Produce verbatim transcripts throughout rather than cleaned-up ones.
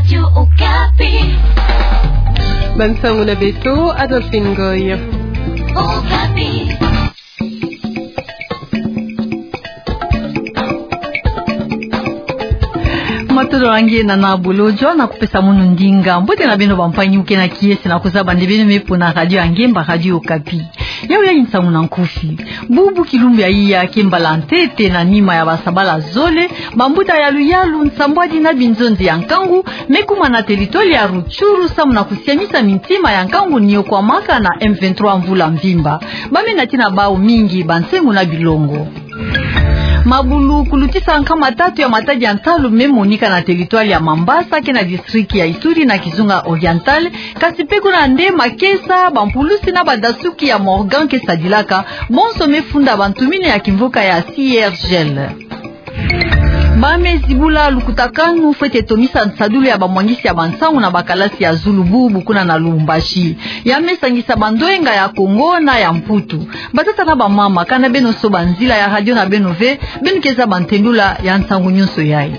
Radio Okapi. Bansangu na beto, Adolphine Ngoy. Okapi. Matondo na nge na na bolojo na kupesa mono ndinga. Mbote na beno bampangi muke na kiese na kuzaba nde beno me pona radio ya nge mba Radio Okapi. Yau ya nsangu na nkufi. Bubu kilumbu ya iya ke mbala ntete na nima ya basabala zole, bambuta ya luyalu nsambwadi na binzonzi ya nkangu me kuma na teritware ya Rutshuru samu na kusiamisa mintima ya nkangu niokwamaka na M vingt-trois mvula mvimba. Ba me nati na bau mingi bansengo na bilongo. Mabulu kulutisa nkama tatu ya matadi ya ntalu me monika na teritware ya Mambasa ke na district ya Ituri na kizunga Oriental, kasi pe kuna nde makesa, bampulusi na badasuki ya Morgan ke sadilaka, bonso me funda bantu mine ya kimvuka ya C I R G L. Ba me zibula lukutakanu fwete tomisa nsadulu ya bamwangisi ya bansangu na bakalasi ya zulu bubu kuna na Lubumbashi. Ya me sangisa bandwenga ya Kongo na ya Mputu. Batata na bamama, kana beno soba nzila ya radio na beno ve, beno ke zaba ntendula ya nsangu nyonso yayi.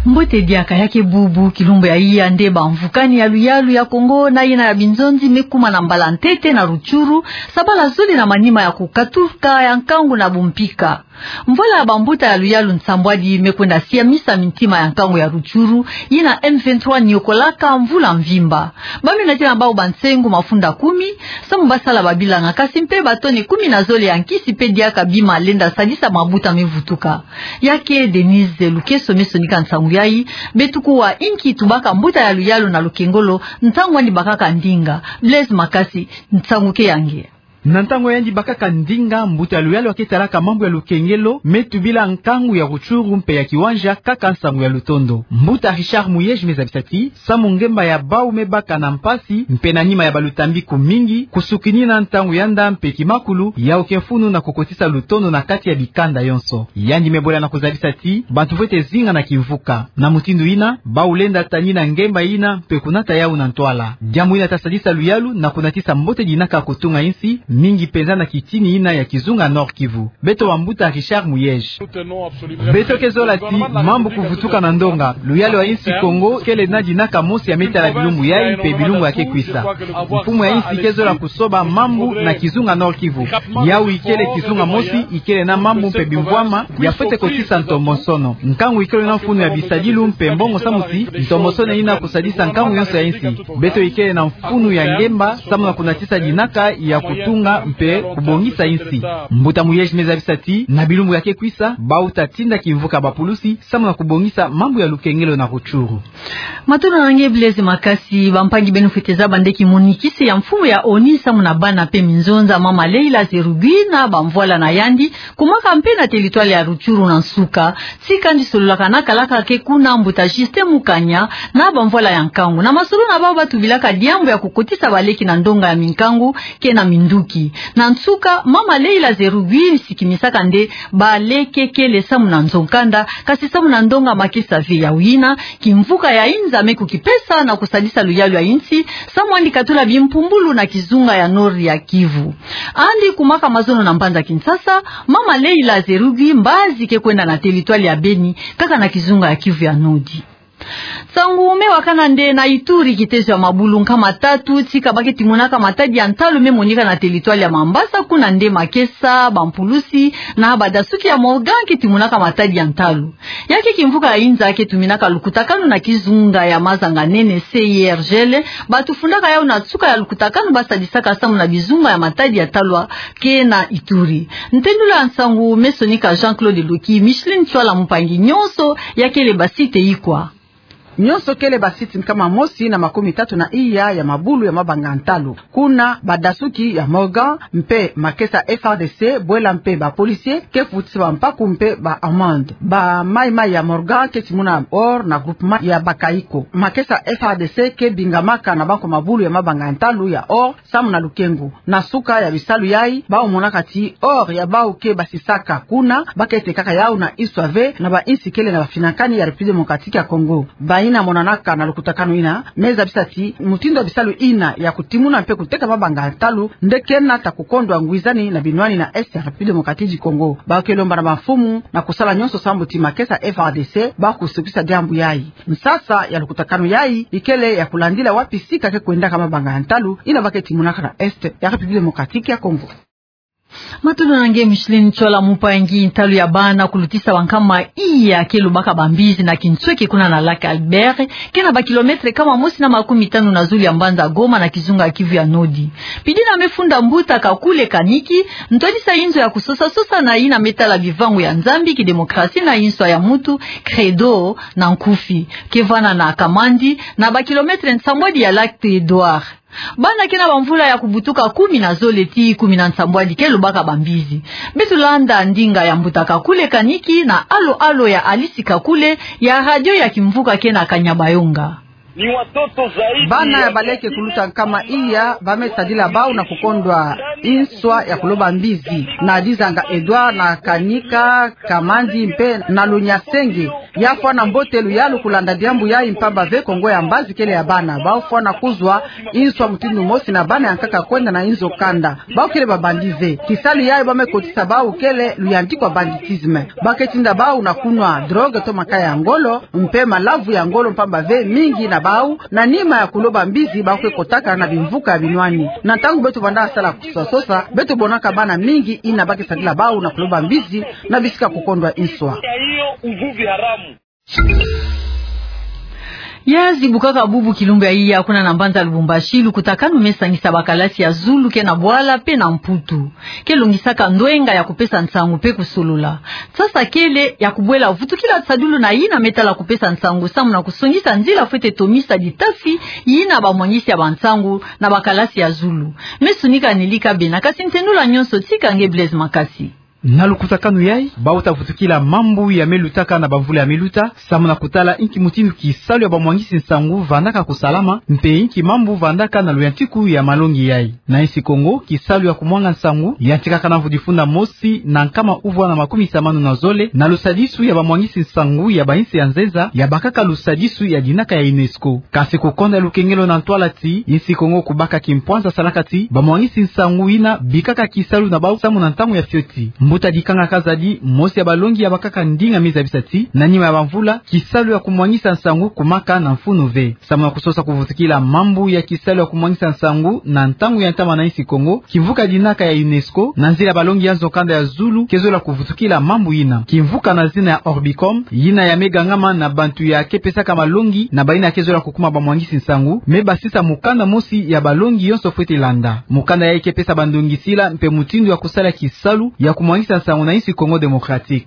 Mbote diaka, ya ke bubu kilumbu ya iya nde bamvukani ya luyalu ya Kongo na yina ya binzonzi me kuma na mbala ntete na Rutshuru, sabala zole na manima ya kukatuka ya nkangu na bumpika. Mvwala ya bambuta ya luyalu nsambwadi me kwenda siamisa mintima ya nkangu ya Rutshuru, yina M vingt-trois niokolaka mvula mvimba. Ba me nati na bau bansengo mafunda kumi, samu basala babilanga, kasi mpe batone kumi na zole ya nkisi mpe diaka bima lenda sadisa mabuta me vutuka. Ya ke Denise Lukeso me sonika nsangu yayi, beto kuwa inki tubaka mbuta ya luyalu na lukengolo, ntangu yandi bakaka ndinga. Blaise Makasi, nsangu ke ya nge. Na ntangu yandi bakaka ndinga, mbuta ya luyalu ya ke talaka mambu ya lukengelo me tubila nkangu ya Rutshuru mpe ya Kiwanja kaka nsangu ya lutondo. Mbuta Richard Muyej me zabisa ti, samu ngemba ya bau me baka na mpasi, mpe na nima ya balutambiku mingi, kusukinina ntangu ya nda mpe kimakulu, yau ke mfunu na kukotisa lutondo na kati ya bikanda yonso. Yandi me bola na kuzabisa ti, bantu fwete zinga na kimvuka. Na mutindu yina, bau lenda tanina ngemba yina mpe kunata yau na ntwala. Diambu yina ta sadisa luyalu na kunatisa mbote dinaka kutunga insi, mingi mpenza na kitini yina ya kizunga Nord-Kivu. Beto bambuta Richard Muyej. Beto ke zola ti mambu kuvutuka na ndonga. Luyalu ya insi Kongo kele na dinaka mosi ya me tala bilumbu yayi mpe bilumbu ya ke kwisa. Mfumu ya insi ke zola kusoba mambu na kizunga Nord-Kivu. Yau ikele kizunga mosi, ikele na mambu mpe bimvwama ya fwete kotisa ntombosono. Nkangu ikele na mfunu ya bisadilu mpe mbongo samu ti ntombosono yina kusadisa nkangu yonso ya insi. Beto ikele na mfunu ya ngemba samu na kunatisa dinaka ya kutunga mpe kubongisa insi. Mbuta Muyej me zabisa ti, na bilumbu ya ke kwisa, bau ta tinda kimvuka bapulusi samu na kubongisa mambu ya lukengelo na Rutshuru. Matondo na nge Blaise Makasi. Bampangi, beno fwete zaba nde kimonikisi ya mfumu ya ONU samu na bana mpe minzonza, mama Leila Zerugui, na bamvwala na yandi, kumaka mpe na teritware ya Rutshuru na nsuka. Tika ndi sololaka na kalaka ke kuna, mbuta Justin Mukanya, na bamvwala ya nkangu. Na masolo na bau ba tubilaka diambu ya kukotisa baleke na ndonga ya minkangu ke na minduki. Na nsuka, mama Leila Zerugui sikimisaka nde baleke kele samu na nzo-nkanda, kasi samu na ndonga makesa ve. Yau yina kimvuka ya inza me kukipesa na kusadisa luyalu ya insi, samu andi katula bimpumbulu na kizunga ya Nord ya Kivu. Andi kumaka mazono na mbanza Kinshasa, mama Leila Zerugui mbazi ke kwenda na teritware ya Beni, kaka na kizunga ya Kivu ya Nord. Nsangu me wakana nde na Ituri, kitezo ya mabulu nkama tatu tika ba ke timonaka matadi ya ntalu me monika na teritware ya Mambasa, kuna nde makesa, bampulusi na badasuki ya Morgan ke timonaka matadi ya ntalu. Ya ke kimvuka ya inza ke tuminaka lukutakanu na kizunga ya Mazanga-Nene, C I R G L, ba tufundaka yau na nsuka ya lukutakanu ba sadisaka samu na bizunga ya matadi ya ntalu ke na Ituri. Ntendula nsangu me sonika Jean-Claude Loki, Micheline Tswala Mpangi. Nyonso ya kele basite ikwa? Nyonso kele basite nkama mosi na makumi tatu na iya ya mabulu ya mabanga ntalu. Kuna badasuki ya Morgan mpe makesa F A R D C, bwela mpe ba policiers, ke futisa bampaku mpe ba amende. Ba maï-maï ya Morgan ke timuna or na groupement ya Bakaiko. Makesa F A R D C ke bingamaka na banko mabulu ya mabanga ntalu ya or samu na lukengu. Na nsuka ya bisalu yayi, bau monaka ti or ya bau ke basisaka kuna, ba ke tekaka yau na iswa ve na bainsi kele na bafinakani ya République Démocratique ya Congo. Ba Ina monanaka na lukutakanu ina, me zabisa ti mutindu ya bisalu ina ya kutimuna mpe kuteka mabanga ya ntalu nde kena ta kukondwa ngwizani na binwani na Est ya République Démocratique du Congo. Ba ke lomba na bamfumu na kusala nyonso sambu ti makesa F A R D C ba kusukisa diambu yayi. Nsasa ya lukutakanu yayi ikele ya kulandila wapi sika ke kwendaka mabanga ya ntalu ina ba ke timunaka na Est ya République Démocratique ya Congo. Matondo na nge Micheline Tsola. Mumpa ngi ntalu ya bana kulutisa bankama iya ke lobaka bambizi na kinsweki kuna na Lac Albert, ke na ba kilomètre kama mosi na makumi tanu na zulu ya mbanza Goma na kizunga Kivu ya Nodi. Pidi na me funda mbuta Kakule Kaniki, ntwadisa inzo ya kusosa-sosa na ina me tala bivangu ya Nzambi, kidemokrasi na inswa ya mutu, Credo na nkufi, ke vwanda na Kamandi, na ba kilomètre nsambwadi ya Lac Edouard. Bana ke na bamvula ya kubutuka kumi na zole tii kumi na nsambwadi ke lobaka bambizi. Beto landa ndinga ya mbuta Kakule Kaniki na alo-alo ya Alice Kakule ya radio ya Kimvuka ke na Kanyabayonga. Bana ya baleke kuluta nkama iya ba me sadila bau na kukondwa inswa ya kuloba mbizi na dizanga Edouard na Kanika, Kamandi mpe na Lunyasenge. Ya fwana mbote luyalu kulanda diambu yayi mpamba ve Kongo ya mbazi kele ya bana. Bau fwana kuzwa inswa mutindu mosi na bana ya nkaka kwenda na inzo kanda. Bau kele babandi ve. Kisalu yayi ba me kotisa bau kele luyantikwa banditisme. Ba ke tinda bau na kunwa drogue to makaya ya ngolo, mpe malavu ya ngolo mpamba ve mingi na bau, na nima ya kuloba mbizi bau ke kotaka na bimvuka ya binwani. Na ntangu beto vwandaka sala kusosa-sosa, beto monaka bana mingi ina ba ke sadila bau na kuloba mbizi na bisika kukondwa inswa. Ya zibukaka bubu kilumbu ya iya kuna na mbanza Lubumbashi, lukutakanu me sangisa bakalasi ya zulu ke na bwala mpe na Mputu. Ke longisaka ndwenga ya kupesa nsangu mpe kusolola. Nsasa kele ya kubwela vutukila tisadulu na ina me tala kupesa nsangu samu na kusongisa nzila fwete tomisa ditafi ina bamwangisi ya bansangu na bakalasi ya zulu. Me sunika Nelly Kabena, kasi ntenula nyonso tika nge Blaise Makasi. Na lukutakanu yayi, bau ta vutukila mambu ya me lutaka na bamvula ya me luta, samu na kutala inki mutindu kisalu ya bamwangisi nsangu vandaka kusalama, mpe inki mambu vandaka na luyantiku ya malongi yayi. Na insi Kongo, kisalu ya kumwanga nsangu yantikaka na mvu difunda mosi na nkama uvwa na makumi samanu na zole, na lusadisu ya bamwangisi nsangu ya bainsi ya nzenza, ya bakaka lusadisu ya dinaka ya UNESCO. Kasi kukonda lukengelo na ntwala ti insi Kongo kubaka kimpwanza salaka ti bamwangisi nsangu ina bikaka kisalu na bau samu na ntangu ya fioti. Mbuta Dikanga Kazadi, mosi ya balongi ya bakaka ndinga, me zabisa ti na nima ya bamvula, kisalu ya kumwangisa nsangu kumaka na mfunu ve. Samu na kusosa kuvutukila mambu ya kisalu ya kumwangisa nsangu na ntangu ya ntama na insi Kongo, kimvuka dinaka ya UNESCO, na nzila ya balongi ya nzo kanda ya zulu, ke zola kuvutukila mambu ina. Kimvuka na zina ya Orbicom, ina ya me gangama na bantu ya ke pesaka malongi na baina ke zola kukuma bamwangisi nsangu, me basisa mukanda mosi ya balongi yonso fwete landa. Mukanda yayi ke pesa bandongisila mpe mutindu ya kusala kisalu ya kumwangisa nsangu na insi Congo Démocratique.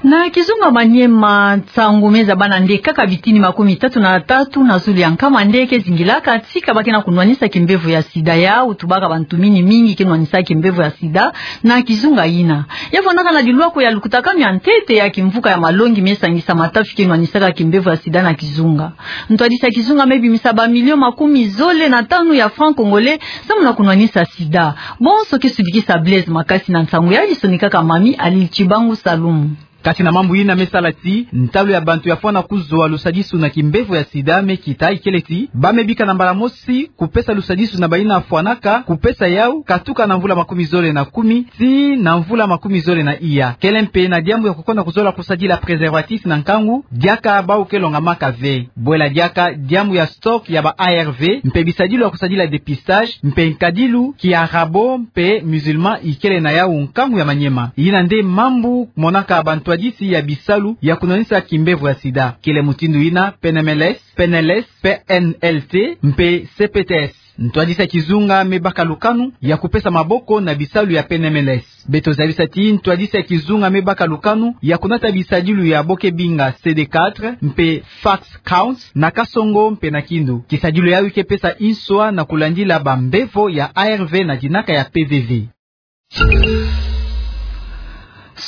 Na kizunga Maniema, nsangu me zabana nde kaka bitini makumi tatu na tatu na zulu ya nkama nde ke zingilaka tika ba ke na kunwanisa kimbevo ya sida. Yau tubaka bantu mingi mingi ke nwanisa kimbevo ya sida na kizunga ina. Ya vwandaka na dilwako ya lukutakanu ya ntete ya kimvuka ya malongi me sangisa matafi ke nwanisaka kimbevo ya sida na kizunga. Ntwadisi ya kizunga me bimisa ba millions makumi zole na tanu ya francs congolais samu na kunwanisa sida. Bonso ke sudikisa Blaise Makasi na nsangu yayi sonikaka Mami Alil Chibangu Salumu. Kati na mambu ina me sala ti ntalu ya bantu ya fwana kuzwa lusadisu na kimbevo ya sida me kita, ikele ti ba me bika na mbala mosi kupesa lusadisu na baina fwanaka kupesa yau katuka na mvula makumi zole na kumi tii na mvula makumi zole na iya. Kele mpe na diambu ya kukonda kuzola kusadila préservatif na nkangu, diaka bau ke longamaka ve. Bwela diaka diambu ya stock ya ba A R V, mpe bisadilu ya kusadila dépistage, mpe nkadilu ki arabo mpe musulman ikele na yau nkangu ya Maniema. Ina nde mambu monaka bantwadisi ya bisalu ya kunwanisa kimbevo ya sida. Kele mutindu ina P N M L S, P N L S, P N L T, mpe C P T S. Ntwadisi ya kizunga me baka lukanu ya kupesa maboko na bisalu ya P N M L S. Beto zabisa ti ntwadisi ya kizunga me baka lukanu ya kunata bisadilu ya bo ke binga C D quatre mpe fax counts na kasongo mpe na kindo. Kisadilu yayi ke pesa inswa na kulandila bambevo ya A R V na dinaka ya P V V.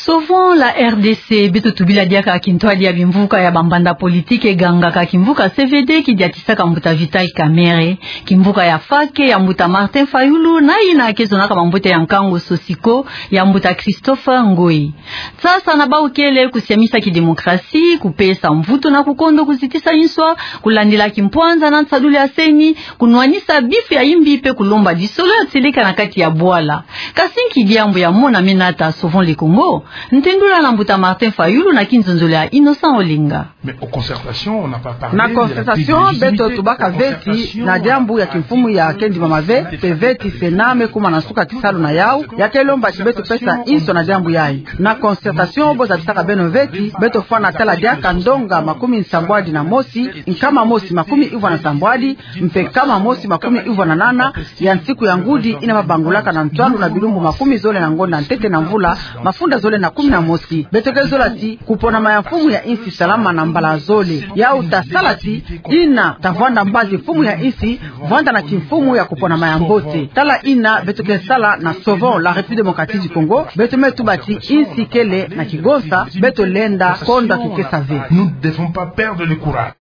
Sauvons la R D C, beto tubila diaka kintwadi ya bimvuka ya bambanda politiki gangaka kimvuka C V D kidiatisaka mbuta Vital Kamerhe, kimvuka ya FACC ya mbuta Martin Fayulu, na ina kezonaka mambote ya nkangu SOSICO ya mbuta Christophe Ngoyi. Sasa na bawu kele kusiamisa kidemokrasi, kupesa mvutu na kukondo kuzitisa inswa, kulandila kimpwanza na nsadulu ya CENI, kunwanisa bifu ya imbi mpe kulomba disolo ya tieleka na kati ya bwala. Kasi nki diambu ya mona menata Sauvons le Congo? Ntendula na mbuta Martin Fayulu na kinzonzolo ya Innocent Olenga. Mais aux concertations, on n'a pas parlé de la délégitimité. Na concertation, beto tubaka veti na diambu ya kimfumu ya kendima mave, mpe veti CENA me kuma na nsuka kisalu na yawu, ya kelomba ti beto pesa inswa na diambu yayi. Na concertation, bo zabisaka beno veti, beto fwana tala diaka ndonga makumi nsambwadi na mosi, nkama mosi makumi ivwa na nsambwadi, mpe nkama mosi makumi ivwa na nana, ya nsiku ya ngudi ina babangulaka na ntwalu na bilumbu makumi zole na ngonda ntete na mvula, mafunda zole na kumi na mosi. Beto ke zola ti kuponama ya mfumu ya insi salama na mbala zole. Yawu tasala ti ina tavwanda mbazi mfumu ya insi, vwanda na kimfumu ya kuponama ya mbote. Tala ina beto ke sala na Sauvons la République démocratique du Congo, beto me tuba ti insi kele na kigonsa, beto lenda kondwa kikesa ve. Nous ne devons pas perdre le courage.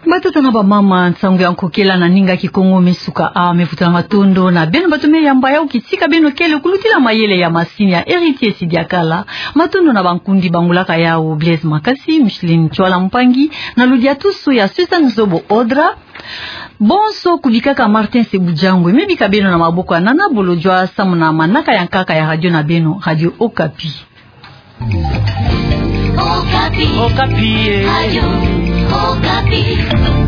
Batata na bamama, nsangu ya nkokela na ninga Kikongo me suka awa. Me vutula matondo na beno bato me yamba yawu kitika beno kele kulutila mayele ya masini ya Héritier Sidiakala. Matondo na bankundi bangulaka yawu: Blaise Makasi, Micheline Chwala Mpangi, na ludiatusu ya Suzanne Zobo Odra. Bonso kubikaka Martin Sebujangwe. Me bika beno na maboko ya Nana Bolodjwa, samu na manaka ya nkaka ya radio na beno, Radio Okapi. Okapi. Okapi, eh. Radio Okapi.